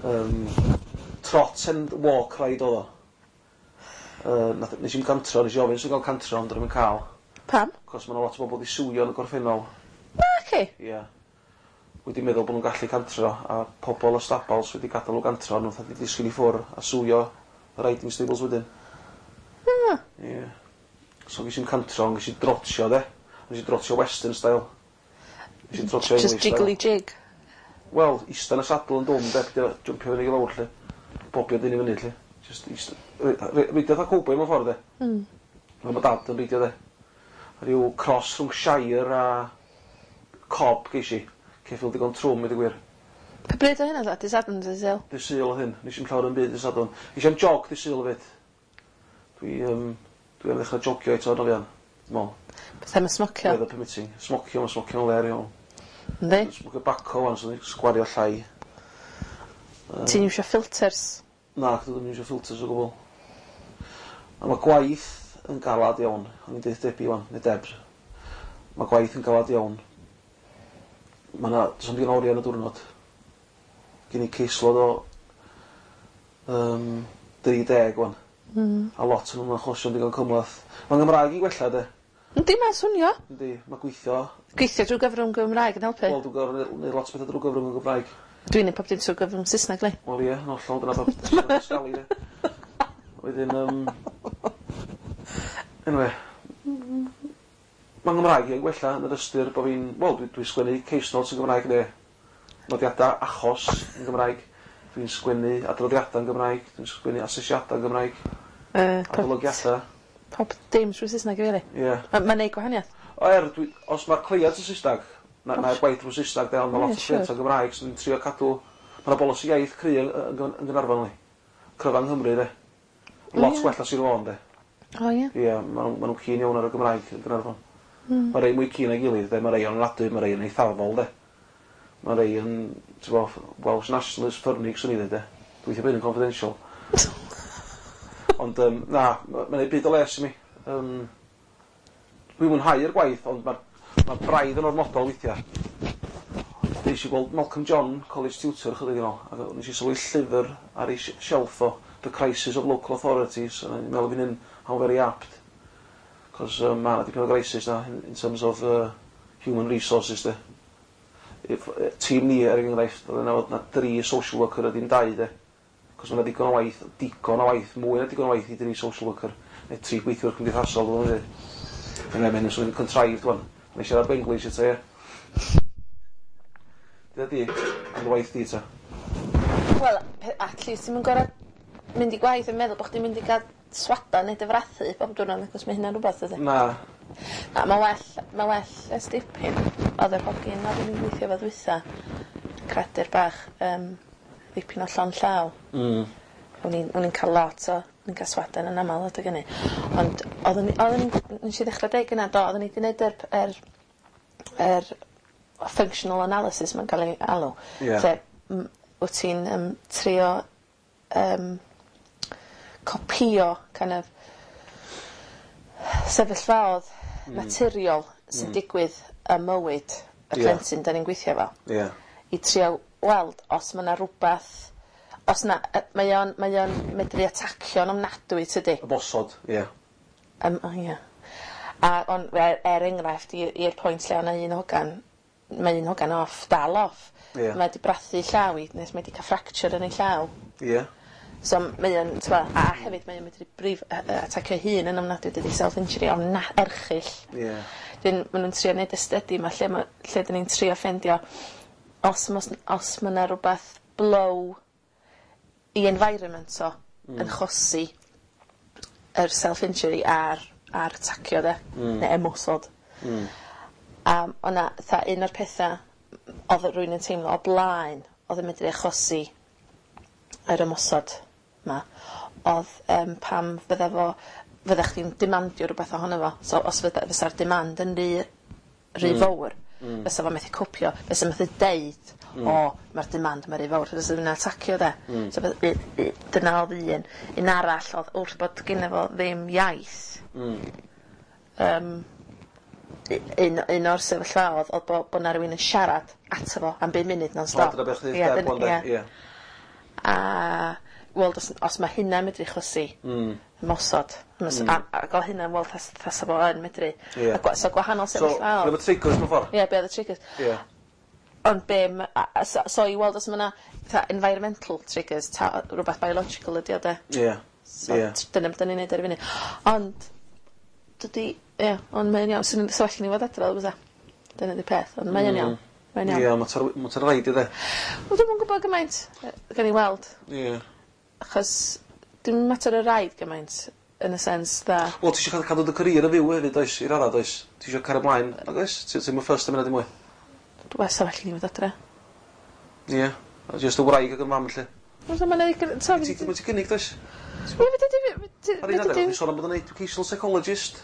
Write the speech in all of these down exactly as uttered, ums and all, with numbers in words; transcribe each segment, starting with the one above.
Um, trot and walk ride oedd o. Uh, nath, nes i'm cantro, nes i ofyn sy'n cael cantro, ond dwi'n cael. Pam? Cos mae 'na lot o bobl wedi sueio yn y gorffennol. Naci? Ie. Yeah. Wedi meddwl bod nhw'n gallu cantro, a pobl y stabals wedi gadael nhw gantro, nhw'n wedi disgyn i ffwr a sueio y riding stables wedyn. Ah. Ie. Yeah. So ges i'n cantro, ond ges i drotio de. Nes i drotio western style. Nes i drotio Just English jiggly style. Jig. Wel, ista yn y saddle yn dwm de, peidio jumpio fyny i lawr lle. Bobio dyn i fyny lle. Just ista. Reidio fatha cowboy mewn ffordd de. Mm. Fel mae dad yn reidio de. Rhyw cross rhwng Shire a Cob geis i. Ceffyl digon trwm i ddweud gwir. Pa bryd o hynna dda? Dydd Sadwrn, dydd Sul? Dydd Sul oedd hyn. Nes i'm llawer yn byd dydd Sadwrn. Nes i'm jog dydd Sul hefyd. Dwi, um, dwi am ddechrau jogio eto yn fuan. Dwi'n meddwl. Beth am y smocio? Weather permitting. Smocio, mae smocio'n ler iawn. Yndi? Smocio baco wan, so ni'n sgwario llai. Yym, Ti'n iwsio filters? Na, dwi ddim yn iwsio filters o gwbl. A mae gwaith yn galad iawn. O'n i'n deud Debbie wan, neu Debs. Mae gwaith yn galad iawn. Mae yna, does 'na'm digon o oriau yn y diwrnod. Gen i caseload o um, dri deg wan. Mm. A lot yn nhw'n achosion digon cymhleth. Mae'n Gymraeg i gwella de. Yndi, mae'n swnio. Yndi, mae gweithio. Gweithio drwy gyfrwng Gymraeg yn helpu. Wel, dwi'n gorfod neud lot o bethau drwy gyfrwng y Gymraeg. Dwi'n neud pob dim trwy gyfrwng Saesneg, li. Wel ie, yn hollol, dyna bob sgali de. Wedyn, um, anyway, mae'n Gymraeg i'n gwella yn yr ystyr bod fi'n, wel, dwi, dwi sgwennu case notes yn Gymraeg neu nodiadau achos yn Gymraeg. Dwi'n sgwennu adroddiadau yn Gymraeg, dwi'n sgwennu asesiadau yn Gymraeg, Uh, pob, adolygiadau. Pob dim trwy Saesneg, really. Ie. Yeah. Mae'n ma neud gwahaniaeth. O er, dwi, os mae'r cleiant yn Saesneg, na, na'r gwaith drwy Saesneg, de, ond mae Ie, lot o siŵr. cleiant yn Gymraeg, so dwi'n trio cadw. Mae yna bolisi iaith cry yn, yn, yn Gaernarfon, li. Cryfa yng Nghymru, de. Lot Ie. gwell na Sir Fôn, de. O, ie. Ie, ma' nhw, ma nhw'n keen iawn ar y Gymraeg yn Gaernarfon. Mm. Mae rei mwy keen na'i gilydd, de. Mae rei yn ofnadwy, mae rei yn eithafol, de. Mae rei yn, ti'n bo, Welsh Nationalist ffyrnig, swn i ddweud, de. Dwi'n bod yn confidential. Ond, um, na, mae'n neud byd o les i mi. Um, dwi'n mwynhau'r gwaith, ond mae'r ma braidd yn ormodol weithiau. Nes i gweld Malcolm John, college tutor, chydig yn ôl, ac nes i sylwi llyfr ar ei sh- shelf o, The Crisis of Local Authorities, a ni'n meddwl fi'n hyn, how very apt. Cos um, mae yna dipyn o crisis na, in, in terms of uh, human resources, de. If, uh, tîm ni, er enghraifft, oedd yna fod na dri social worker a dim dau, de. Cos mae yna digon o waith, digon o waith, mwy na digon o waith i dri social worker, neu tri gweithiwr cymdeithasol, dwi'n dweud. Yna, mae'n swnio'n contrived, wan. Nes i siarad Benglish eto, ie. Dyna di, am dy waith di, ta. Wel, pe- at least ti'n gorau mynd i gwaith yn meddwl bod chdi'n mynd i gael swada neu dy frathu bob diwrnod, achos mae hynna'n rhywbeth, ydy. Na. Na, mae well, mae well ers dipyn. Oedd yr hogyn oedd yn gweithio fo ddwytha, cradur bach, um, ddipyn o llon llaw. Mm. O'n i'n o'n i'n cael lot o, o'n i'n cael swadan yn aml adeg hynny. Ond oedden ni, oedden ni'n, nes i ddechrau deud gynna, do, oedden ni wedi gwneud yr, yr, yr functional analysis mae'n cael ei alw. Ie. Lle m- wyt ti'n um, trio um, copio kind of sefyllfaoedd mm. naturiol sy'n mm. digwydd ym mywyd y Ie. plentyn da ni'n gweithio fo Ie. i trio weld os mae yna rhywbeth os na, yy, mae o'n mae o'n medru atacio'n ofnadwy, tydi? Y bosod, ie. Um, oh, ie. A on, er, er enghraifft i- i'r pwynt lle o'na un hogan, mae un hogan off, dal off. Ie. Mae 'di brathu llaw i nes mae 'di cael fracture yn ei llaw. Ie. So mae o'n, t'mo', a hefyd mae o'n medru brif, yy, yy, atacio hun yn ofnadwy, dydi, self-injury ofna erchyll. Ie. Dyn, ma' nhw'n trio neud y study 'ma lle ma' lle 'dyn ni'n trio ffeindio os mos, os ma' 'na rwbath blow i environment o mm. yn chosi yr self-injury a'r, a'r atacio de, mm. neu ymosod. Mm. A o'na, fatha, un o'r petha oedd rywun yn teimlo o blaen oedd yn medru achosi yr ymosod 'ma oedd um, pam fydda fo fydda chdi'n demandio rhywbeth ohono fo. So os fydda, fysa'r demand yn rhy, rhy mm. fawr, mm. fysa fo methu copio, fysa methu deud, mm. "O, mae'r demand yma rhy fawr," fysa fo'n atacio de. Mm. So fydd- u- u- dyna oedd un. Un arall oedd wrth bod gynno fo ddim iaith, Mm. um, un, un o'r sefyllfaoedd oedd bod, bod 'na rywun yn siarad ato fo am bum munud non-stop. O, dyna beth chdi Ie, Deb dyna- wan de. ie. Ie. A weld os, os mae hynna'n medru achosi Mm. ymosod. Mm. A, ac o hynna'n weld tas, tasa fo yn medru. Ie. A gwa, so gwahanol So, sefyllfaoedd. be oedd y triggers mewn ffordd? Ie, be oedd y triggers. Ie. Ond be, ma- a, a, so, so i weld os mae yna fatha environmental triggers, ta rhywbeth biological ydi o de. Ie. So Ie. t- dyna beth da ni'n neud ar y funud. Ond, dydy, ie, ond mae'n iawn. Swn i'n- So allan ni fod adre, bysa. Dyna di peth, ond mae'n iawn. Mae'n iawn. Ie, mater mater rhaid i de. Wel, dwi'm yn gwybod gymaint, yy, gawn ni weld. Ie. Achos, dim mater o raid gymaint, yn y sens dda. Wel, ti eisiau cadw cadw dy career yn fyw hefyd, oes, i radda, does? Ti eisiau cario ymlaen, nag oes? Ti ti'n first am hynna dim mwy? Wel, sa well i ni fod adre. Ie. A Just y wraig ac y mam, lle. Wel, so mae'n ddigon... So, Ti ti'n ti gynnig, does? Ie, fedri di... Ar un adeg, ti'n sôn am bod yn educational psychologist,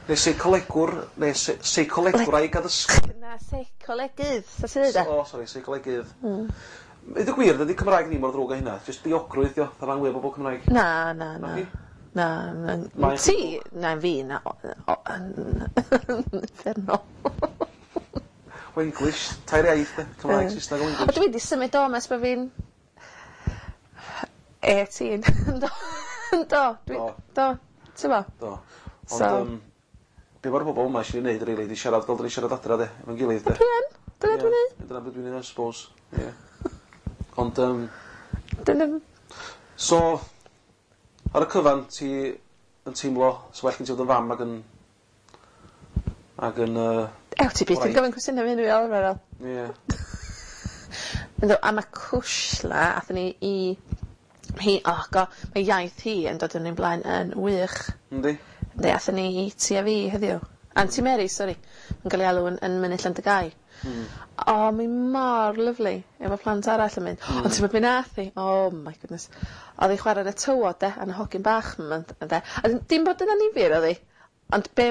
neu seicolegwr, neu se- seicolegwraig addysg. Na, seicolegydd, sa ti'n dweud e? O, sori, seicolegydd. Mm. Ydy gwir, dydy Cymraeg ni mor ddrwg â hynna. Just diogrwydd, dio. Dda rhan fwyaf o bobl Cymraeg. Na, na, na. Naci? Na, na. Mae- Ti, na, fi, na. o- o- Uffernol. Wenglish, tair iaith, de. Cymraeg, Saesneg a O, Wenglish. dwi wedi symud o mes bod fi'n... eighteen. Do, do, dwi, Do. do, ti'n bo? Do. Ond, So- um, be mae'r bobl yma eisiau ei wneud, really, di siarad fel dyn ni siarad adra, de, efo'n gilydd, de. Dwi yn, dyna dwi'n neud. Dyna beth dwi'n neud, I suppose. Ie. Ond, um, Dyna, so, ar y cyfan, ti yn teimlo, so well gen ti fod yn fam ac yn, ac yn, uh, Ew, ti byth yn Wraig. gofyn cwestiynau fi hynny fel arfer. ie. Ynddo, a mae Cwshla, athyn ni i... Hi, oh go, mae iaith hi yn dod yn ein blaen yn wych. Yndi? Ynddi, athyn ni i Ti a Fi heddiw. Anti Mary, sori. Yn cael ei alw yn, yn Mynydd Llandygai. Mm. O, oh, mae mor lyfli. Efo plant arall yn mynd. Mm. Ond ti'n mynd nath hi? Oh my goodness. Oedd hi chwarae yn y tywod, de, a'n hogyn bach yma, de. A dim bod yna nifyr, oedd hi. Ond be...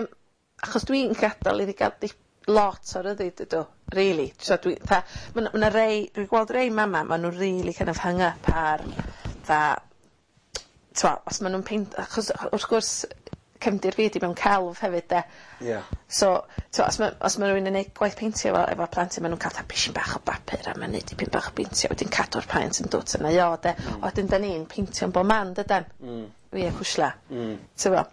Achos dwi'n gadael iddi gael di lot o ryddid, ydw. Really. So dwi, tha, ma' 'na- ma' 'na rei, dwi'n gweld rei mama, ma' nhw really kind of hung up ar, tha, t'mo, os ma' nhw'n peint, achos wrth gwrs, cefndir fi 'di mewn celf hefyd, de. Ie. So, t'mo, os ma' os ma' rywun yn neud gwaith peintio efo efo plentyn, ma' nhw'n cael fatha pishyn bach o bapur a ma'n neud dipyn bach o beintio, wedyn cadw'r paent yn dwt yna i o, de. Mm. Wedyn da ni'n peintio'n bob man, dydan? Mm. Fi a Cwshla. Mm. T'mo?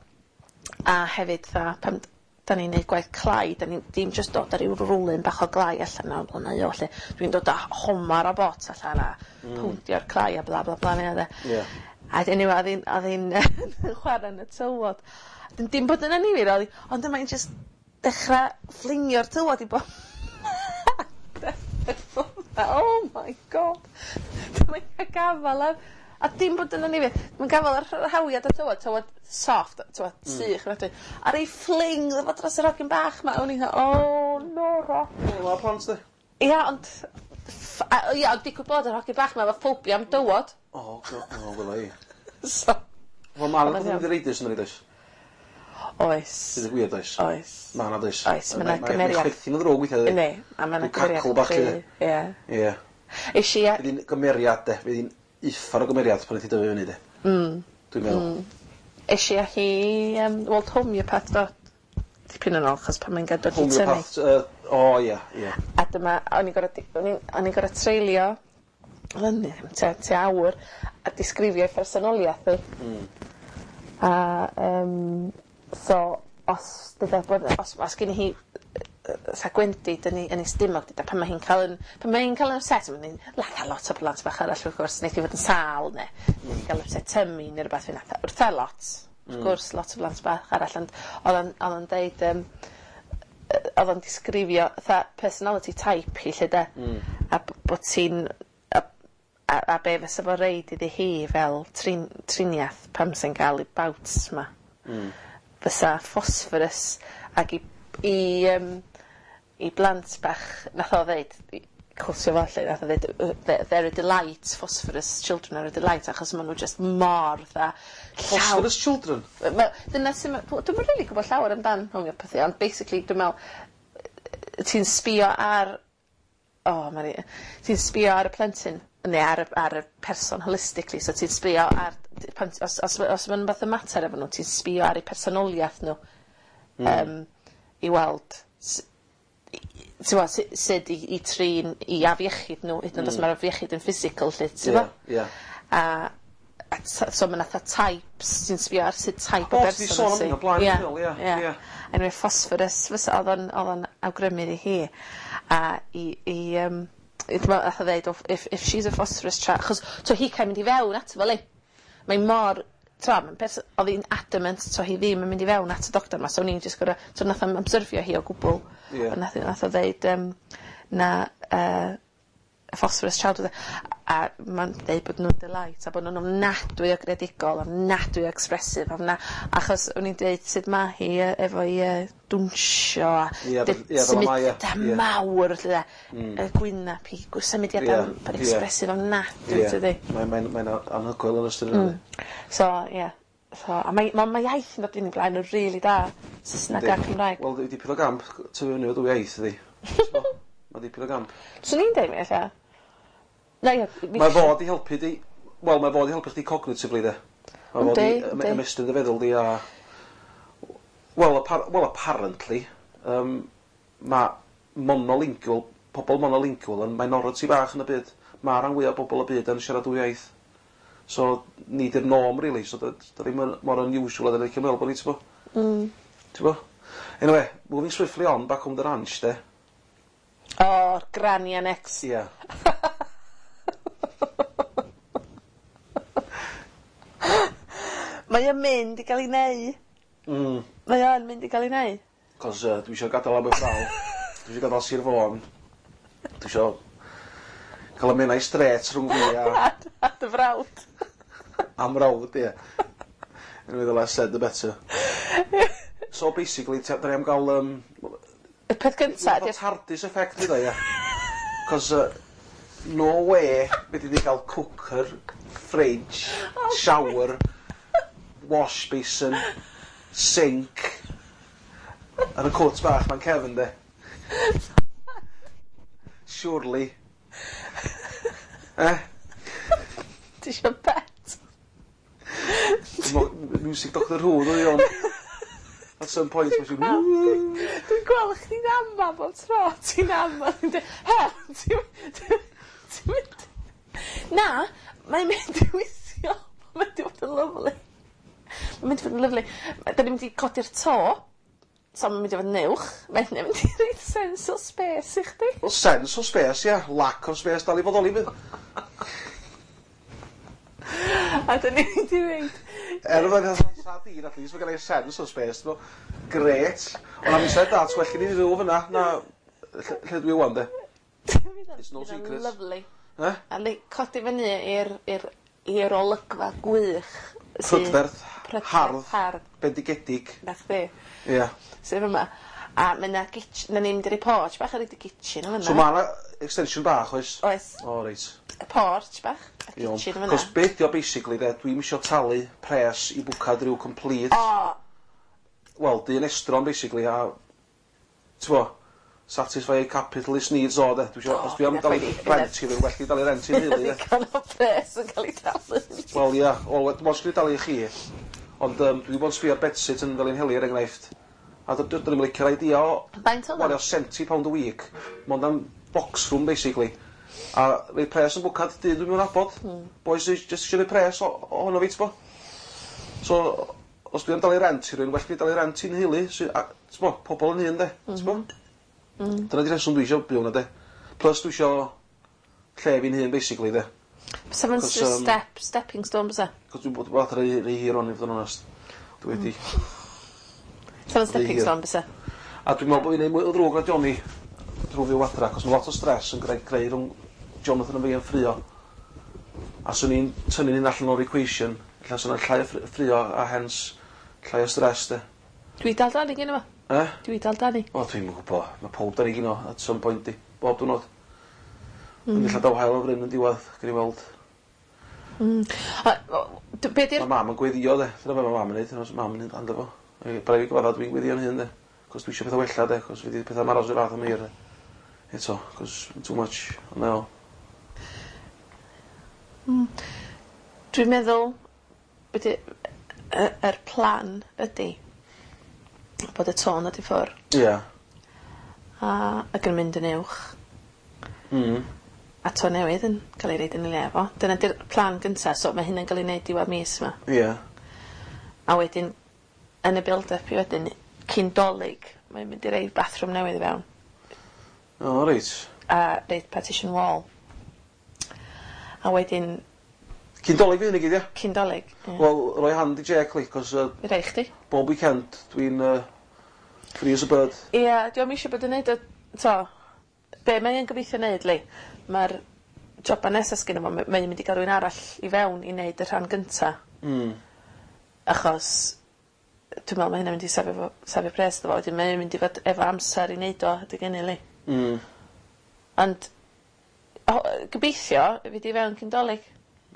A hefyd, tha, pan da ni'n neud gwaith clai, da ni'n dim just dod â ryw rwlyn bach o glai allan o blaen o, lle dwi'n dod â homar o bot allan a mm. powndio'r clai a bla bla bla neu de. Ie. A anyway, oedd hi'n oedd hi'n chwarae yn y tywod. Dim, dim bod yna nifyr, oedd hi, ond dyma hi'n just dechrau fflingio'r tywod i bob. Oh my God. Dyma hi'n cael gafal ar... A dim bod yna nifyr. Mae'n gafal ar rhawiad y tywod, tywod soft, tywod mm. sych. Mm. A rei fling efo dros yr hogyn bach ma. O'n i'n oh no, ro. Wel, ma' plant, de. Ia, ond... ff- a- Ia, ond digwydd bod yr hogyn bach ma efo ffobia am dywod. O, go, o, wela i. So, Wel, ma' 'na Ond beth yn iawn. ddireidus yn oes? Oes. Sydd yn gwir, does? Oes. Ma' 'na, does? Oes, ma' 'na gymeriad. Mae chwerthin yn ddrwg weithiau, dydi? Yndi, a ma' 'na Ryw cacl bach, cymeriad. lly. Ie. Ie. Is i... Fydd hi'n gymeriad, de. Fydd hi'n uffar o gymeriad pan ydi dyfu fyny, de. Mm. Dwi'n meddwl. Mm. Es i â hi, um, weld homeopath do. Dipyn yn ôl, achos pan mae'n gadw i tynnu. Homeopath, yy, o, ie, ie. A dyma, o'n i'n gorfod, o'n i'n o'n i'n gorfod treulio, oedd yn tua, tua awr, a disgrifio ei phersonoliaeth hi. Mm. A, um, so, os, dyda, bod, os, os gen hi sa gwendid yn ei, yn ei stumog, dyda, pan mae hi'n cael yn, pan mae hi'n cael yn upset, mae'n hi'n latha lot o blant bach arall, wrth gwrs, wneith hi fod yn sâl, neu wneith hi gael upset tummy, neu rhywbeth, fi'n atha, wrtha lot, wrth gwrs, lot o blant bach arall, ond oedd o'n- oedd o'n deud, um, oedd o'n disgrifio fatha personality type hi lle de. Mm. A b- bod ti'n a, a, a be fysa fo reid iddi hi fel trin, triniaeth pam sy'n cael ei bouts ma. Mm. Fysa phosphorus ac i, i, um, i blant bach nath o ddeud i- cwsio fo lle nath o ddeud uh, they're they're a delight, phosphorus children are a delight, achos ma' nhw just mor fatha llaw- Phosphorus children? Wel, dyna sy'n... Dwi'm yn rili gwybod llawer amdan homeopathy, ond basically dwi'n meddwl yy ti'n sbio ar... O, oh, Mari... Ti'n sbio ar y plentyn, neu ar y, ar y person holistically, so ti'n sbio ar... Pan, os, os, os mae'n fath o mater efo nhw, ti'n sbio ar eu personoliaeth nhw mm. um, i weld s- Ti'n gwbod, su- sut i, i trin i afiechyd nhw, hyd yn oed os mae'r afiechyd yn physical, lle, ti'n Ie, gwbod? ie. A, a t- so mae 'na types, ti'n sbio ar sut type o O, ti 'di berson sôn am wyt ti. hyn o blaen, Ie, dwi'n meddwl, ie, ie. ie. Anyway, phosphorus, fysa, oedd o'n, oedd o'n awgrymu iddi hi. A i, i, um, i, dwi'n meddwl, nath o ddeud, "Oh, if, if she's a phosphorus child," achos, so hi cael mynd i fewn ato fo, li. Mae mor, t'mo, mae'n pers- oedd hi'n adamant, so hi ddim yn mynd i fewn at y doctor ma, so o'n i'n just gor'o', so nath o'm obserfio hi o gwbl. Ie. Ond nath, nath o ddeud, um, na, uh, phosphorus child oedd e. A mae'n deud bod nhw'n delight a bod nhw'n ofnadwy o greadigol, ofnadwy o expressive, ofna, achos o'n i'n deud sut ma hi yy, efo'i uh, dwnsio a Ie, dy- ie, fel y mae, ie. symudiadau Ie. mawr felly de. Y gwynab hi, gw- symudiadau Ie, ie. expressive ofnadwy, Ie. tydi. Mae'n mae'n mae'n anhygoel yn ystod yna. So, ie. So, a mae, ma, mae iaith yn dod yn ei blaen yn rili da. Saesneg a Cymraeg. Wel, dipyn o gamp, tyfu fyny o dwy iaith, ydi. Mae dipyn o gamp. Swn i'n deud mi, ella. Na, ie. fi- Mae fod i helpu di, wel, mae fod i helpu chdi cognitively, de. Mae fod i Yndi, ym- yndi. ymestyn dy feddwl di a... Wel, appar well, apparently, um, mae monolingual, pobl monolingual yn minority bach yn y byd. Mae rhan fwyaf o bobl y byd yn siarad dwy iaith. So, ni di'r norm, really. So, da, da ddim yn mor unusual a da ni'n meddwl bod ni, ti'n bo? Mm. Ti'n bo? Anyway, moving swiftly on, back home the ranch, de. O, granny annex. Ie. Yeah. Mae o'n mynd i gael ei neu. Mm. Mae o'n mynd i gael ei neu. Cos uh, dwi eisiau gadael Aberffraw. Dwi eisiau gadael Sir Fôn. Dwi eisiau cael y Menai Strait rhwng fi a, A, a dy frawd. am rawd, ie. Anyway, the less said, the better. So basically, da ni am gael... Um, Y peth gynta Fatha ydi'r TARDIS effect fydd o, ie. Cos uh, no way fedri di gael cooker, fridge, shower, wash basin, sink, yn y cwt bach ma'n cefn, de. Surely. Eh? Ti isio bet? Mo- Music Doctor Who, ddwy o'n. At some point, mae'n siŵr... Dwi'n gweld chdi'n ama bob tro. Ti'n ama. Ti'n dweud, he, ti'n ti'n mynd... Na, mae'n mynd i weithio. Mae'n mynd i fod yn lyfli. Mae'n mynd i fod yn lyfli. Da ni'n mynd i codi'r to. So mae'n mynd i fod yn uwch. Mae'n mynd i roi sense o space i chdi. Well, sense of space, ie. Yeah. Lack of space, dal i fodoli fydd. A da ni'n mynd i reid... Er oedd o'n sardine, at least, mae gen i sense of space. Bo. Great. Ond am said that, well gen i fyw fyna, na, lle, lle dwi wan, de. It's no secret. Lyfli. Eh? A li, codi fyny i'r i'r i'r olygfa gwych. sydd- Prydferth, Prydferth, hardd, hardd. bendigedig. Na chdi. Ie. Yeah. Sef yma. A mae yna kitchen, na ni'n mynd i'r porch bach ar y kitchen o fyna. So mae yna extension bach, oes? Oes. O, reit. Y porch bach, a Iawn. kitchen fyna. Cos beth di o basically, de, dwi'n isio talu pres i bwcad rhyw complete. O, Wel, dyn estron, basically, a... T'bo, satisfy capitalist needs o, de. Dwi isio, O, os dwi am hynna dalu chwaith. rent i rhywun, well i dalu rent i'n hynna nheulu, de. ddigon o pres yn cael ei talu. Wel, ia, wel, dim ots gyda dalu i chi. Ond um, dwi wedi bod yn sbio ar bedsit yn Felinheli, er enghraifft. A dwi ddim yn licio'r idea o Faint oedd o? wario seventy pound a week, mond am box room, basically. A rhoi pres yn bwcad dyn dwi'n mynd nabod. Mm. Boys sy jyst eisiau rhoi pres o- ohono fi, t'bo. So, os dwi am dalu rent i rywun, well fi dalu rent i'n nheulu, sy, a, t'bo, pobl yn hun, de, t'bo. Mm. Dyna di rheswm dwi eisiau byw na, de. Plus dwi eisiau lle fi'n hun, basically, de. Bysa fo'n Cos, just yym, step, stepping stone, bysa? Cos dwi'n bod bod rei, rei hir o'n i fod yn onest. Dwi wedi. Bysa fo'n stepping hir. stone, bysa? A dwi'n meddwl bod fi'n neud mwy o ddrwg na Johnny drwy fyw adra, cos mae lot o stress yn greu, greu rhwng Jonathan a fi yn ffrio. A swn i'n tynnu'n un allan o'r equation, ella swn i'n llai o ffri- ffrio a hence llai o stress, de. Dwi dal Dani gynno fo. Eh? Dwi dal Dani. O, dwi'n gwybod. Mae pob dan i gino at some point di. Bob diwrnod. Mm. Yn ella daw haul o fryn yn diwedd, gen i weld. A, o, d- be di'r Mae mam yn gweddio, de. Dyna be mae mam yn neud. Dyna mam yn hando fo. Braidd fi gyfadda dwi'n gweddio'n hun, de. Cos dwi eisiau pethau wella, de. Cos fi di pethau maros i'r fath am hir, de. Eto, cos too much. Ond o. Dwi'n meddwl be di, y, yr plan ydy bod y tôn dod i ffwr Ie. A ac yn mynd yn uwch. Mm. A to newydd yn cael ei roid yn ei le fo. Dyna 'di'r plan gynta, so mae hynna'n cael ei wneud diwedd mis 'ma. Ie. A wedyn yn y build-up i wedyn cyn 'Dolig mae'n mynd i roid bathroom newydd i fewn. O reit. A roid partition wall. A wedyn Cyn 'Dolig fydd hyn i gyd ia? Cyn 'Dolig ie. Wel roi hand i Jake li 'cos yy Fi rhoi chdi. bob weekend dwi'n yy free as a bird. Ia, dio'm isio bod yn neud o t'o' be' mae yn gobeithio neud li, ma'r joba nesa sgynno fo ma- mae'n mynd i ga'l rywun arall i fewn i neud y rhan gynta. Mm. Achos dwi me'wl ma' hynna mynd i safio fo safio pres iddo fo wedyn mae o'n mynd i fod efo amser i neud o adeg ynny 'li. Mm. Ond o gobeithio fydd i fewn cyn 'Dolig.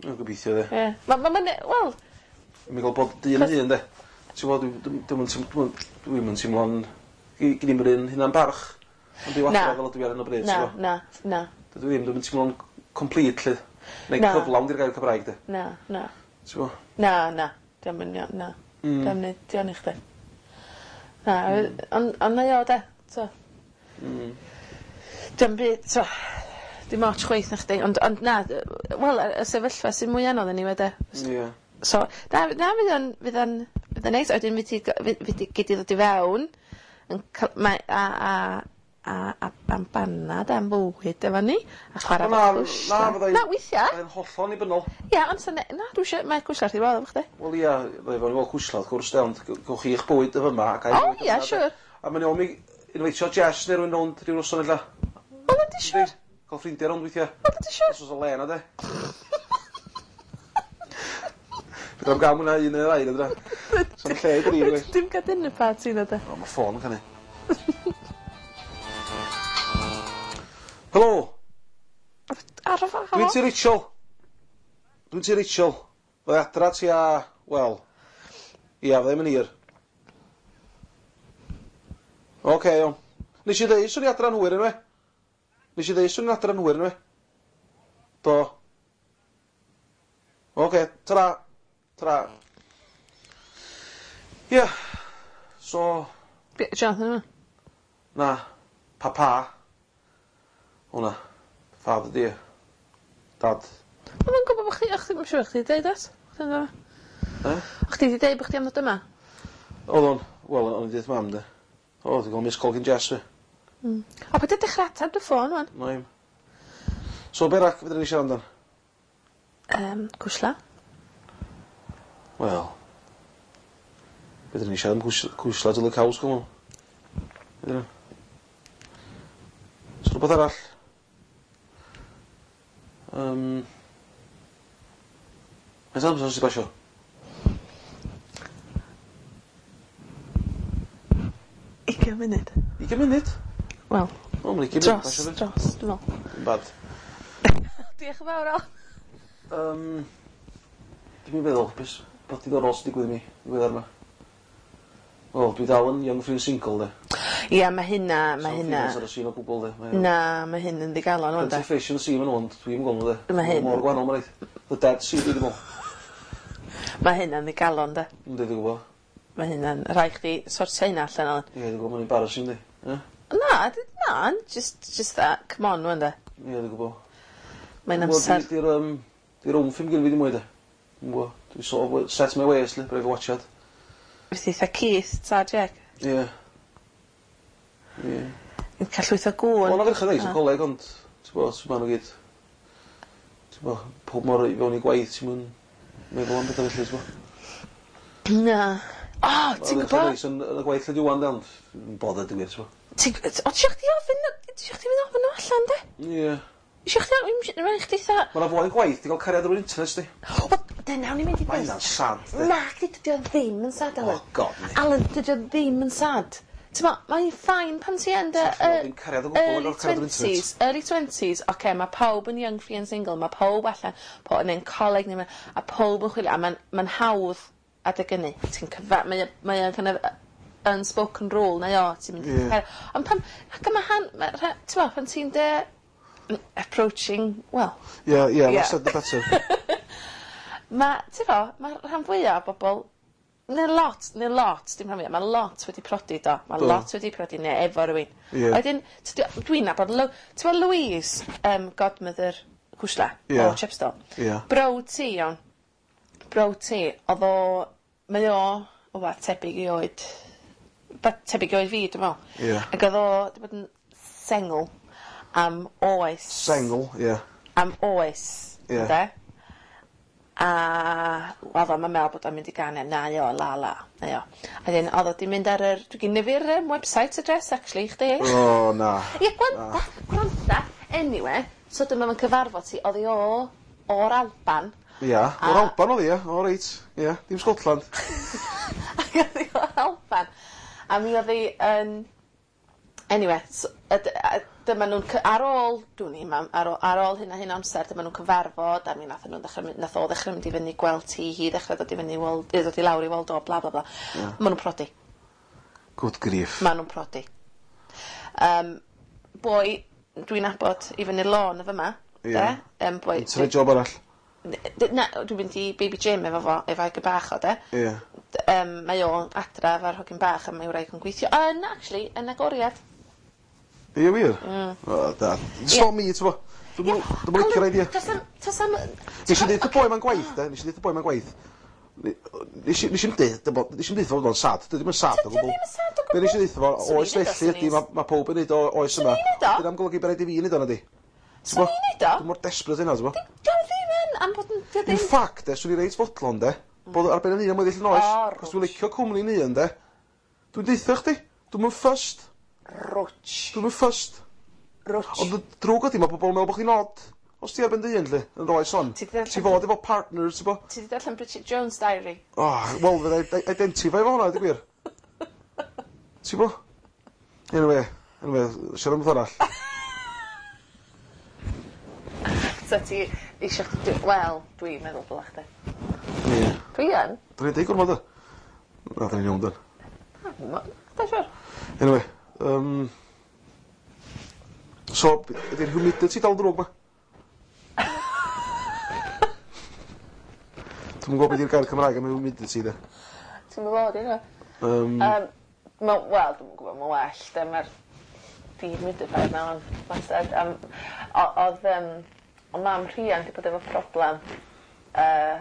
O gobeithio 'de. Ie. Ma' ma' ma'n wel Mi ga'l bod dyn yn hun 'de. Ti'n gwbod dwi dwi'm dwi'm yn teim- dwi'm dwi'm yn teimlo'n gi- gin i'm yr un hunan barch yn byw adra fel ydw i ar 'yn o bryd Na t'bo'? na na. Dydw i ddim dwi'm yn teimlo'n complete 'lly. Neu Na. cyflawn 'di'r gair Cymraeg 'de. Na na. T'bo'? Na na. Dio'm yn iawn na. Mm. Dio'm neud digon i chdi. Na on' on' mae o 'de t'o'? Mm. Dio'm byd t'o' dim ots chwaith nachdi ond ond na wel y y sefyllfa sy'n mwy anodd eniwe 'de? Ie. So na na fydd o'n fydd o'n fydd o'n neis a wedyn fydd ti gy- fydd fydd di gei di ddod i fewn yn ca'l mae a a a a am banad am fywyd efo ni a chwara Na efo na fyddai Na weithia. Fyddai'n hollol annibynnol. Ia ond sa ne- na dwi isio mae cwslar wrth 'i bodd efo chdi. Wel ia, fydda i fod cwsla wrth gwrs de ond g- gewch chi'ch bwyd y fyma ac O ia siŵr. A mae'n iawn mi invitio Jess neu rywun rownd ryw noson ella. Wel yndi siŵr. Ca'l ffrindia rownd weithia. Wel yndi siŵr. Os o's 'na le 'na de. Fedrai'm ga'l mwy na un neu ddau na fedra? Sa'm lle i dri chwaith. Dim ca'l dinner party na de? O ma' ffôn yn canu. Helo? Ar y ffôn? Dwi'n ti Rachel. Dwi'n ti Rachel. Fydda i adra tua, wel, ia, fydda i'm yn hir. Oce, iawn. Nes i ddeud swn i adra'n hwyr eniwe. Nes i ddeud swn i'n adra'n hwyr eniwe. Do. Oce, tara. Tara. Ia. So, Be- Jonathan yma? na. Papa. Hwnna. Father dear. Dad. O'dd o'n gwbod bo' chdi o' chdi ma' siŵr chdi deud o't? Chdi yma. E? O' chdi 'di deud bo' chdi am ddod yma? O'dd o'n, wel o'n i deud mam de. O, dwi'n gweld miss call gin Jess fi. Mm. O paid â dechra atab dy ffôn ŵan. Na'i. So be arall fedra ni siarad amdan? Yym, cwsla. Wel. Fedra ni siarad am cwsh- cwsla till the cows come home. Fedra. So rwbeth arall? Yym. Faint o amser sy 'di basio? Ugian munud. Ugian munud? Wel. O ma' ugian munud Dros, pasio 'di? dros, dwi me'wl. Dim bad. Diolch yn fawr Al. Yym. Dwi'm yn feddwl be' s- beth diddorol sy digwydd i mi ddiweddar 'ma. Wel, dwi dal yn young free and single 'de. Ia, ma' hynna, ma' hynna. Sa'm ar y sîn o gwbwl 'de. Mae o- Na, ma' hyn yn ddigalon ŵan Plenty de. of fish in the sea ma' nw ond dwi'm yn gwel' nw 'de. Ma' hyn- Mor gwanol ma' raid. The dead sea dwi 'di me'wl. Ma' hynna'n ddigalon de. Yndi dwi gwbo. Ma' hynna'n rhai' chdi sortio hynna allan Alan. Ie dwi gwbo ma'n embarrassing yndi? Ie? Na, d- na, just just that, come on ŵan de. Ie dwi gwbo. Mae'n Wel, amser. di- Di'r yym di'r wmff i'm gyn fi ddim mwy de. Dwi'm gwbo. Dwi sort of set my ways 'lly, braidd o watchad. Fydd eitha Keith, ta Jack. Ie. Ie. Yn ca'l llwyth o gŵn. Wel, na ferched neis yn coleg, ond, ti'n bo, ma' nhw gyd, ti'n bo, pob mor i fewn i gwaith, ti'n mwyn meddwl am bethau felly, ti'n bo. Na. O, ti'n Ferched gwybod? neis yn, yn y gwaith lle dwi wan, de, ond yn bothered i wir, ti'n bo. Ti'n... O, ti chdi ofyn... Ti chdi mynd ofyn nhw allan, de? Ie. Isio chdi ofyn... Mae'n chdi eitha... Ma' 'na foi yn gwaith 'di ga'l cariad drwy'r internet, di. Wel, dyna o'n i'n mynd i Ma' ddeud. hynna'n sad, de. Na, chdi, dydi o ddim yn sad, Alan. Oh, God, ni. Alan, dydi o ddim yn sad. Ti'n ma, mae'n fine pan ti yn dy... Sa chdi ddim cariad o gwbl Early yn cael cariad drwy'r internet. twenties, early twenties, oce, okay, mae pawb yn young, free and single, mae pawb allan, po, neu'n coleg, neu ma, a pawb yn chwilio, a mae'n ma hawdd adeg ynny. Ti'n cyfa, mae o- mae o'n kind of unspoken rule, neu o, ti'n mynd i Ie. yeah. Ond pan, ac yma han, ma' rha- ti'n ma, pan ti'n dy approaching, well, Ie, ie, Ie. less said the better. ma', ti'n fo, mae rhan fwyaf o bobl Neu lot, neu lot, dim rhan fwya, mae lot wedi prodi do. Mae Do. lot wedi prodi neu efo rhywun. Ie. A wedyn, tydi- dwi'n nabod, Lo- ti'n gwbod Louise, um, godmother Cwsla, Ie. o Chepstow. Ie. Brawd ti, iawn. Brawd ti, oedd o, mae o, wbath tebyg i oed, ba- tebyg i oed fi, dwi'n meddwl. Ie. Ac oedd o, wedi bod yn sengl am oes. Sengl, ie. Am oes, Ie. ynde? A oedd o'n meddwl bod o'n mynd i ganu, na o, la la, na o. A wedyn, oedd o di mynd ar yr, dwi'n gynnu fi'r um, website address, actually, i chdi. O, na. Ie, gwranda, gwranda. Anyway, so dyma fo'n cyfarfod ti, oedd hi o, o'r Alban. Ia, o'r A- Alban oedd hi, ia. O, reit. Ia, dim Scotland. Ac oedd hi o'r Alban. A mi oedd hi yn... Anyway, so, a d- a dyma nhw'n... cy- Ar ôl, dwi'n i, mam, ar ôl, ar ôl hyn a hyn o amser, dyma nhw'n cyfarfod, a mi nath nhw'n ddechrau, mynd- nath o ddechrau mynd i fyny gweld ti, hi ddechrau dod i fyny i weld, i ddod i lawr i weld o, bla bla bla. Ie. Ma' nhw'n prodi. Good grief. Ma' nhw'n prodi. Um, boi, dwi'n nabod i fyny'r lôn y fyma. Ie. De? Um, boi, Ti'n neud job arall. D- Na, dwi'n mynd i Baby Gym efo fo, efo ag y bach o, de. Ie. D- Um, mae o adra efo'r hogyn bach a mae wraig yn gweithio yn, actually, yn agoriad. Ie, wir? Mm. O, da. It's not me, ti'n bo. Dwi'n dwi'n licio'r idea. Does am... Does am... Nes i ddeud y boi ma'n gwaith, de. Nes i ddeud y boi ma'n gwaith. Nes i nes i'm deud, nes i'm deud fo bod o'n sad. Dydy ddim yn sad o Dydy o gwbl. ddim yn sad o Be nes i gwbl. ddeud fo, Swn i'n oes neud o, felly swn ydi, i'n- mae ma pob yn neud o oes yma. Swn i'n neud o. Dyna am golygu bod rhaid i fi neud o, na di. Swn i'n neud o. Dwi'n mor desperate yna, ti'n bo. Dio ddim yn, am bod yn... Dio In ddim... fact, de, swn i reit fodlon, de, bod ar ben yn hun am weddill yn oes. O, Cos dwi'n licio cwmni ni yn, de. Dwi'n deutha chdi, dwi'n mynd fussed. Rwtsh. Dwi'n mynd fussed. Rwtsh. Ond y drwg ydi, mae pobl yn meddwl bod chdi'n odd. Os ti ar ben dy hun, lle, yn rhoi son. Ti 'di darllen- Ti fod efo partner, ti'n bo? Ti 'di darllen Bridget Jones' Diary? Oh, wel, fydda i identify efo hwnna, di gwir. Ti'n bo? Anyway, anyway, siarad am beth arall. So ti eisiau chdi... Wel, dwi'n meddwl dylach chdi. Ie. Dwi yn. Da ni'n deud gormod o. Na, da ni'n iawn, dan. Ma- Da siwr. Anyway, um, so, ydy'r humidity dal drwg ma? Dwi'm yn gwybod beth yw'r gair Cymraeg am humidity, de. Ti'n meddwl bod yna? Um, Um, ma, wel, dwi'n gwybod, mae'n well, de, mae'r dehumidifier mewn wastad. Um, oedd, um, o mam rhian di bod efo problem uh,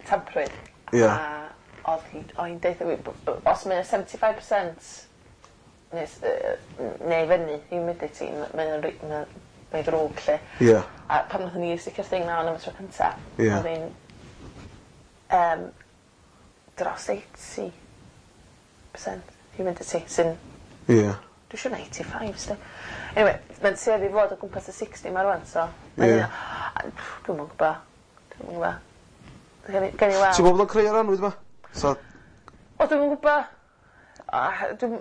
tamprwydd. Ie. A oedd hi, oedd hi'n deutha fi, b- b- os mae'n seventy-five percent neu, s- yy, neu fyny humidity, m- mae'n ri- mae'n mae'n ddrwg, lle. Ie. A pan nathon ni sticio'r thing mewn am y tro cynta, Ie. oedd hi'n um, dros eighty percent humidity, sy'n, Ie. dwi'n siŵr na eighty-five, sti. Anyway, mae'n tueddu i fod o gwmpas y sixty ma rwan, so mae Ie. hynna- a, pff, dwi'm yn gwybod. Dwi'm yn gwybod. Gen i gen i weld. Ti'n gwybod bod o'n creu ar anwyd ma? So, O, dwi'm yn gwybod. Ah, Dwi'm...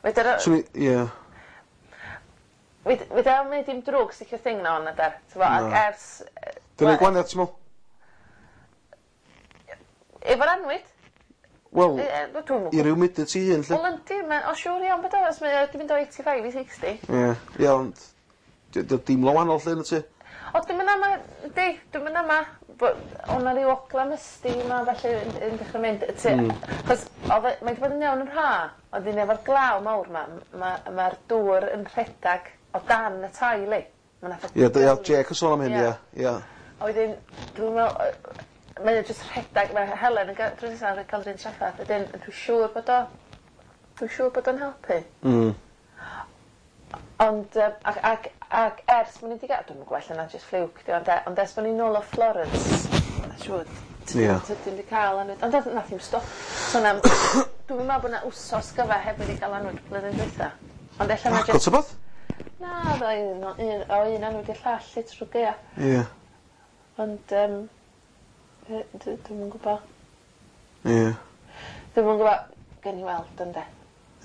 Fedra... swn i, ie. Fedra o'm neud dim drwg sticio'r thing na on adar. T'bo, ac Na. ers... yy, Dwi'n wel, ei gwaniad, ti'n meddwl? Efo'r anwyd? Wel, Yy, yy, Dwi'm yn i'r humidity hun, lle. Wel, yndi, mae... O, siŵr iawn bod o, os mae o 'di mynd o eighty-five i sixty. Ie, ie, ond di- di- deimlo wahanol lle yn y tŷ. O, dwi'm yn ama, di, dwi'm yn ama, bo- o' 'na ryw ogla musty 'ma felly yn, yn dechrau mynd. Ti, mm. Chos oedd e- mae 'di bod yn iawn yn rha, ond un efo'r glaw mawr 'ma, ma' ma'r dŵr yn rhedag o dan y tai li. Ma' 'na Ie, d- ie, Jake yn sôn am hyn, Ie. ie, ie. A wedyn, dwi'n meddwl, yy, mae o jyst rhedag, mae Helen yn gael, drws nesaf yn cael yr un trafferth, wedyn dwi'n siŵr bod o, dwi'n siŵr bod o'n helpu. Mm. Ond, yym, ac, ac, ac ers bod ni wedi gael, dwi'n gwybod ella na just fluke, di, ond, e- ond ers bod ni nôl o Florence, siŵr, Ie. tydyn wedi cael anwyd, ond nath nath hi'm stop. So na, dwi'n meddwl bod na wsos gyfa heb wedi cael anwyd blwyddyn dwytha. Ond ella na Agor just. ta beth? Na, oedd o un, o un, o un anwyd i'r llall, i trwy gaea. Ie, Ond, um, dwi'm yn gwybod. ie, Dwi'm yn gwybod, gen i weld, ynde.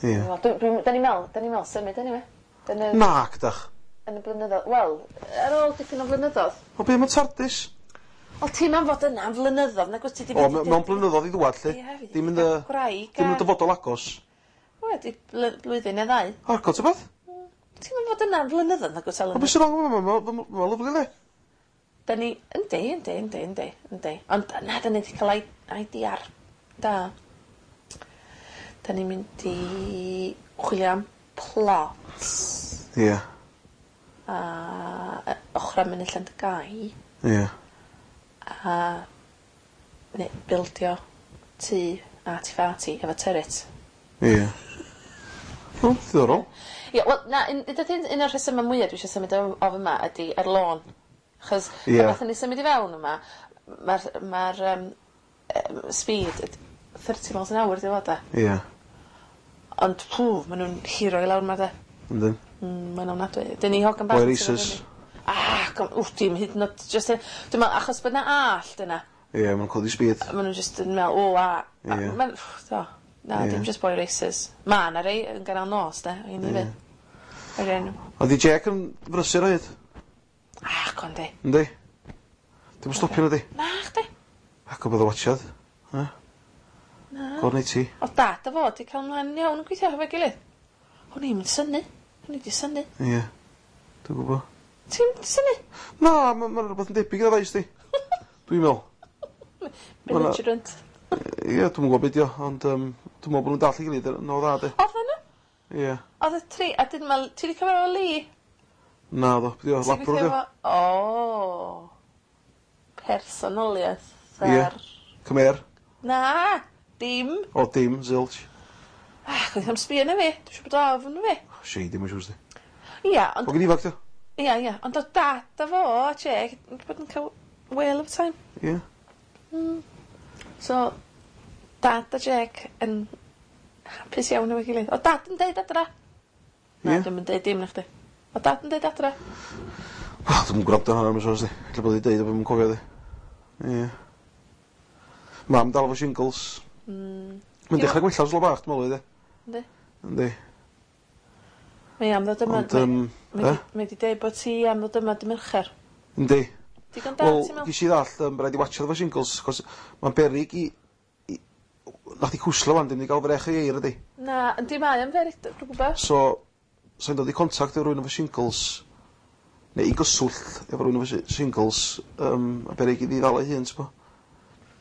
ie. Dwi'n, dwi, da ni'n meddwl, da ni'n meddwl symud, anyway. Yn y, Na, gydach. yn y blynyddoedd. Wel, ar ôl dipyn o flynyddoedd. O, be mae TARDIS? O, ti'n am fod yna am flynyddoedd, nag wyt ti 'di O, me- mewn blynyddoedd i ddwad, lle. Ie, fi 'di Dim yn y cael gwraig Dim yn a- y dyfodol agos. Wedi blwyddyn neu ddau. Argol, ta beth? Ti'n am fod yna am flynyddoedd, nag wyt O, Elen? beth sy'n wrong efo fo? Mae'n lyfli, le. Da ni, yndi, yndi, yndi, yndi, yndi. Ond na, da ni wedi cael I D R Da. Da ni'n mynd i chwilio am plots. Ie. A yy ochra Mynydd Llandygai. Ie. A neu bildio tŷ arty farty efo turret. Ie. O, diddorol. Ie, wel na un un un o'r rhesyma mwya dwi isio symud o o fyma ydi yr lôn. Achos Ie. pan nathon ni symud i fewn yma ma'r ma'r yym yy speed yy thirty miles an hour 'di o de. Ie. Ond pw ma' nw'n hiro i lawr 'ma 'de. Yndyn. Mm mae'n ofnadwy. 'Dyn ni hogan bach Boy yn tyfu racers. fyny. Ah go- wff dim hyd yn o'd jyst yy dwi me'wl achos bod 'na allt yna. Ie, ma' nw'n codi speed. Ma' nw jyst yn me'wl o a a Ie. ma'n do. Na Ie. dim jyst boy racers. Ma' 'na rei yn ganol nos 'de i ni 'fyd. Yr un O'dd 'i Jake yn brysur o hyd. Ah go on 'di. Yndi? Dim yn stopio nadi? Nachdi. Ac o bod o watsiad. E? Na. Gorn i ti. O'dd dad a fo 'di ca'l mlaen yn iawn yn gweithio hefo'i gilydd. O'n i'm yn synnu. O'n i 'di synnu. Ie. Dwi'n gwbo. Ti'n synnu? Na, ma' ma' rwbeth yn debyg iddo fo sti. Dwi'n me'wl. Belligerent. Ie, dwi'm yn gwbo be' 'di o, ond yym dwi'n me'wl bo' nw'n dallt ei gilydd yn o dda 'de. Odden nhw? Ie. O'dd y tri a dyn ma' ti 'di cyfarfod Lee? Naddo, be' 'di o, Ti'n Labro gweithio 'di o? efo O! Personoliaeth Ie. ar... Cymer. Na! Dim. O dim, zilch. Ah, chwaith am sbio arna fi. Dwi siŵr bod ofn fi. Shady mae'n siŵr sti. Ia, ond O gen ifanc 'di o? Ia, ia, ond o'dd dad a fo a Jake wedi bod yn ca'l whale of a time. Ie. Hmm. So, dad a Jake yn hapus iawn efo'i gilydd. O'dd dad yn deud adra? Na, Ie. dwi'm yn deud dim na chdi. O'dd dad yn deud adra? Wel, dwi'm yn gwrando hwnna mae'n siŵr sti. Ella bod 'i deud a dwi'm yn cofio di. Ie. Mam dal efo shingles. Mm. Mae'n dechrau gwella slo bach, dwi'n meddwl, de. Yndi. Yndi. Mae am ddod yma. Ond, yym, Mae e? 'di mae 'di deud bod ti am ddod yma dy Mercher. Yndi. Digon da, Wel, ti'n me'wl? ges i ddallt, um, rhaid i watsiad efo shingles, cos mae'n beryg i... i Nath i cwslo wan, dim di gael frech i eir ydi. Na, yndi mae am beryg, dwi'n gwybod. So, sa'n dod i contact efo rhywun efo shingles, neu i gyswllt efo rhywun efo shi- shingles, um, a beryg iddi ddal ei hun, t'bo.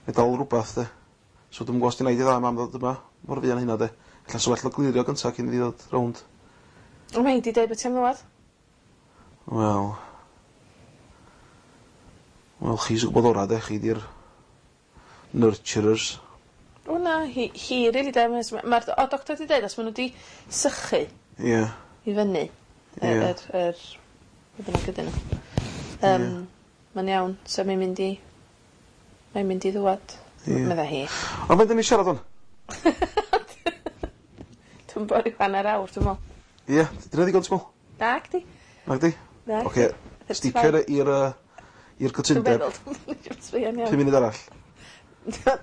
Neu dal rhywbeth, de. So dwi'm yn gwybod os di naid i dda mam ddod yma mor fuan hynna, de. Ella so well o glirio gynta cyn iddi ddod rownd. Ond mae 'di deud bod ti am ddwad. Wel... Wel, chi sy'n gwybod ora, de. Chi di'r nurturers. O na, hi, hi rili de. Mae'r o doctor 'di deud os ma' nhw 'di sychu Ie. Yeah. i fyny Ie. yr yr yr be bynnag ydyn nhw. Yym mae'n iawn, so mae'n mynd i mae'n mynd i ddwad. Ie. Medda hi. Ond faint 'dan ni siarad o'n? Dwi'n bod ryw hanner awr, dwi'n me'wl. Ie, dyna ddigon ti'n me'wl? Nag di. Nag di? Nag Oce, di. sticio i'r yy i'r Dwi'n cytundeb. meddwl, dwi'n sbio'n iawn. Pum munud arall.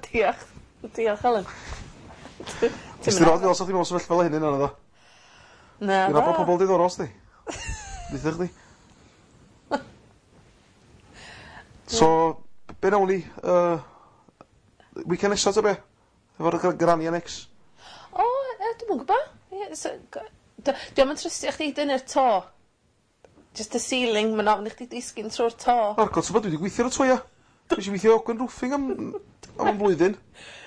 Diolch. Diolch, Helen. Nes di rod fel sa chdi mewn sefyllfa fel hyn yna, naddo? Na. Dwi'n nabod pobol diddorol, sdi. Deutha chdi. So, be nawn ni? Uh, weekend nesa ta be? Efo'r gr- Granny Annex? O, yy, dwi'm yn gwbo. Ie, so, g- d- Dwi am yn trystio chdi dynnu'r to. Just y ceiling, mae'n ofn i chdi disgyn trwy'r to. Argol, ti'n bod, dwi wedi gweithio ar y to, ia. Nes i weithio Ogwen Roofing am, am am blwyddyn.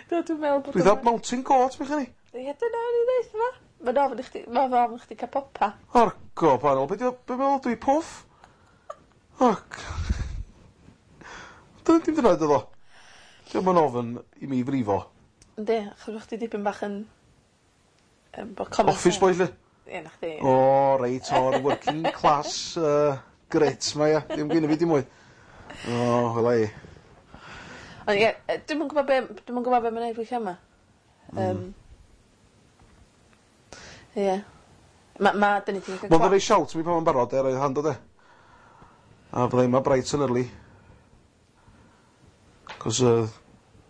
Do, dwi'n meddwl bod... Dwi dda Mountain Goat, bych chi. Ie, dyna o'n i ddeud yma. Mae'n ofn i chdi, mae'n ofn i chdi cael popa. Argo, panel, be' di o, be' meddwl dwi, puff? Ac... Dyna dim dyna iddo fo. Dio'm yn ofn i mi frifo. Yndi, achos bo' chdi dipyn bach yn... yym, bo' common Office boy, lle. Ie, na chdi. O, reit, o'r working class uh, grit ma, ia. Dim gynna fi dim mwy. O, wela i. Ond ie, yy, dwi'm yn gwbod be' dwi'm yn gwbod be' mae'n neud weithia' yma. Yym. Ie. Ma' ma' 'dyn ni 'di Mond yn rhoi shout mi pan ma'n barod, e, rhoi hand o de. A fydda i yma bright and early. Cos uh,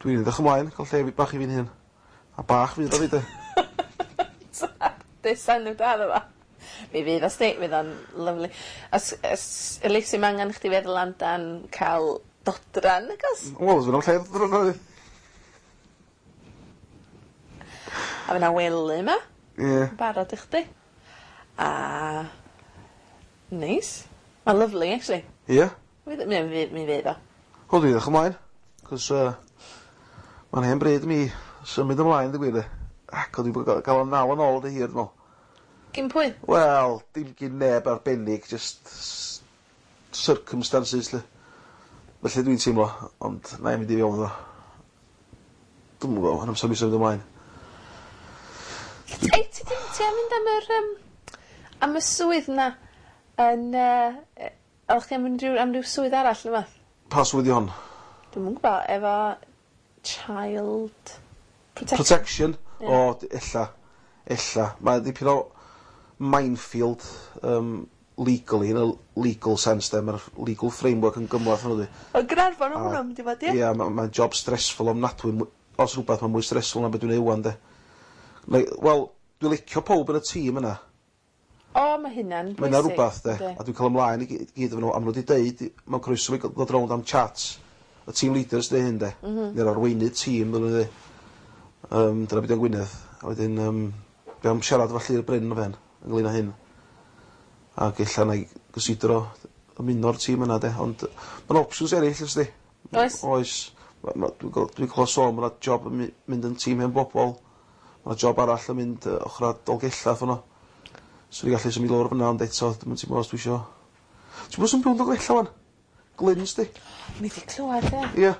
dwi'n edrych ymlaen, cael lle bach i fi'n hun. A bach fydd o fi, de. Desan nhw da ddo fo. Mi fydd o sti, fydd o'n lyfli. Os, os, Elise, ma' angen chdi feddwl amdan cael dodran, nag o's? Wel, os fydd o'n lle dodran oedd. A fydd 'na wely yma. Ie. Barod i chdi. A neis. Ma'n lyfli, actually. Ie. Mi mi mi mi fydd o. Wel, dwi'n edrych ymlaen. Cos uh, mae'n hen bryd i mi Symud ymlaen, dwi gwir de. Ac o'n i wedi gael o'n nal yn ôl dy hir, dwi'n meddwl. Gin pwy? Wel, dim gin neb arbennig, just s- circumstances, lle. Felly dwi'n teimlo, ond na i mynd i fewn iddo. Dwi'm yn gwybod, yn amser mi symud ymlaen. Ei, ti di, ti am mynd am yr, um, am y swydd na yn, uh, oeddech chi am mynd ryw, am ryw swydd arall neu beth? Pa swydd i hon? Dwi'm yn gwybod, efo child protection. Protection? Ie. O, d- ella. Ella. Mae dipyn o minefield um, legally, in a legal sense, de. Mae'r legal framework yn gymhleth hwnnw di. O, Gaernarfon o A- hwnna mynd i fod, ie? Ie, mae'n ma job stressful ofnadwy. Mwy- Os rhywbeth, mae'n mwy stressful na beth dwi'n neud wan, de. Like, wel, dwi'n licio pob yn y tîm yna. O, mae hynna'n bwysig. Mae yna rhywbeth, de. Yndi. A dwi'n cael ymlaen i gyd gyd efo nhw. A maen nhw wedi deud, mae'n croeso mi ddod rownd am chats. Y team leaders de hyn, de. Mm -hmm. Neu'r arweinydd tîm, dyn nhw'n dweud. Um, dyna beth yn Gwynedd. A wedyn, um, dwi am siarad efo Llyr Bryn o fen, ynglyn â hyn. Ac ella na i gysidro ymuno'r tîm yna, de. Ond mae'n options eraill, ysdi. Oes? Oes. Ma- ma- Dwi'n gwel- dwi'n clywed sôn, mae yna job yn my- mynd yn tîm hen bobol. Mae yna job arall yn mynd uh, ochr Dolgella ffyno. So dwi'n gallu symud lawr fyna, ond eto, dwi'n teimlo os dwi isio. Ti'n bod sy'n byw yn Dolgella wan? Glyn, sti? Ni 'di clywed, ie. Ie.